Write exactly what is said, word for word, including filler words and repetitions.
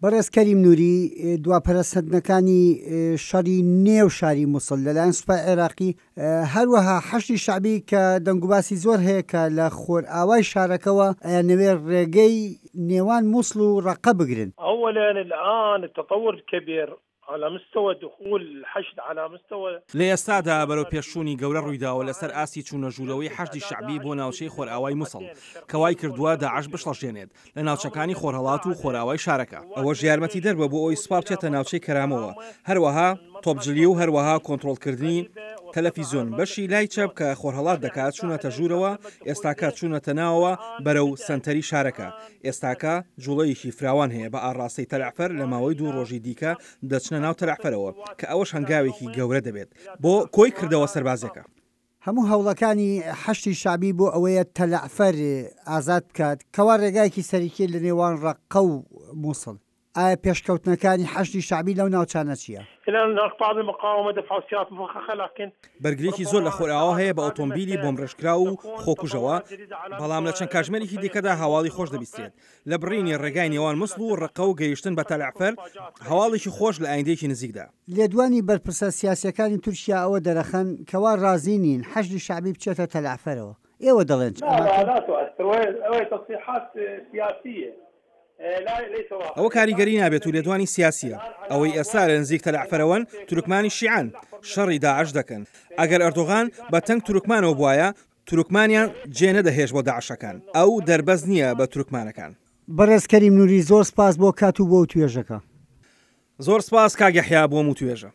بەڕێز کەریم نوری، دوا پەرەسەندنەکانی شەڕی نێو شاری موسڵ لەلایەن سوپای عێراقی، هەروەها حەشدی شەعبی کە دەنگوباسی زۆر هەیە کە لە خۆرئاوای شارەکەوە ئەیانەوێت ڕێگەی نێوان موسڵ و ڕەققە بگرن. أولا الآن التطور الكبير على مستوى دخول الحشد على مستوى لە ئێستادا بەرەو پێشچوونی گەورە ڕوویداوە لەسەر ئاستی چوونە ژوورەوەی حەشدی شەعبی بۆ ناوچەی خۆرئاوای موسڵ، کە وای کردووە داعش بشڵەژێنێت لە ناوچەکانی خۆرهەڵات و خۆرئاوای شارەکە. ئەوەش یارمەتیدەر بووە بۆ ئەوەی سوپا بچێتە ناوچەی کەرامەوە، هەروەها تۆپجلی و هەروەها کۆنترۆڵکردنی تەلەفیزیۆن بەشی لای چەپ کە خۆرهەڵات دەکات چوونەتە ژوورەوە، ئێستاکە چوونەتە ناوەوە بەرەو سەنتەری شارەکە. ئێستاکە جوڵەیەکی فراوان هەیە بە ئاڕاستەی تەلەعفەر، لە ماوەی دوو ڕۆژی دیکە دەچنە ناو تەلەعفەرەوە کە ئەوەش هەنگاوێکی گەورە دەبێت بۆ کۆی کردەوە سەربازیەکە. هەموو هەوڵەکانی حەشدی شەعبی بۆ ئەوەیە تەلەعفەر ئازاد بکات، کەوا ڕێگایەکی سەرەکیە لە نێوان ڕەققە و موسڵ. ئایا پێشکەوتنەکانی حەشدی شەعبی لەو ناوچانە چییە؟ بەرگرییەکی زۆر لە خۆرئاوا هەیە بە ئۆتۆمبیلی بۆمبڕێژکراو و خۆکوژەوە، بەڵام لە چەند کاتژمێرێکی دیکەدا هەواڵی خۆش دەبیسترێت لە بڕینی ڕێگای نێوان موسڵ و ڕەققە و گەیشتن بە تەلەعفەر، هەواڵێکی خۆش لە ئایندەیەکی نزیکدا. لێدوانی بەرپرسە سیاسییەکانی تورکیا ئەوە دەرەخەن کەوا ڕازی نین حەشدی شەعبی بچێتە تەلەعفەرەوە، ئێوە دەڵێن چ؟ ئەوە کاریگەری نابێت و لێدوانی سیاسییە. ئەوەی ئێستا لە نزیک تەلەعفەرەوەن تورکمانی شیعەن، شەڕی داعش دەکەن. ئەگەر ئەردۆغان بە تەنگ تورکمانەوە بوایە، تورکمانیان جێ نەدەهێشت بۆ داعشەکان. ئەو دەربەست نییە بە تورکمانەکان. بەڕێز کەریم نوری زۆر سپاس بۆ کات و بۆ وتوێژەکە. زۆر سپاس کاک یەحیا بۆ وتوێژە.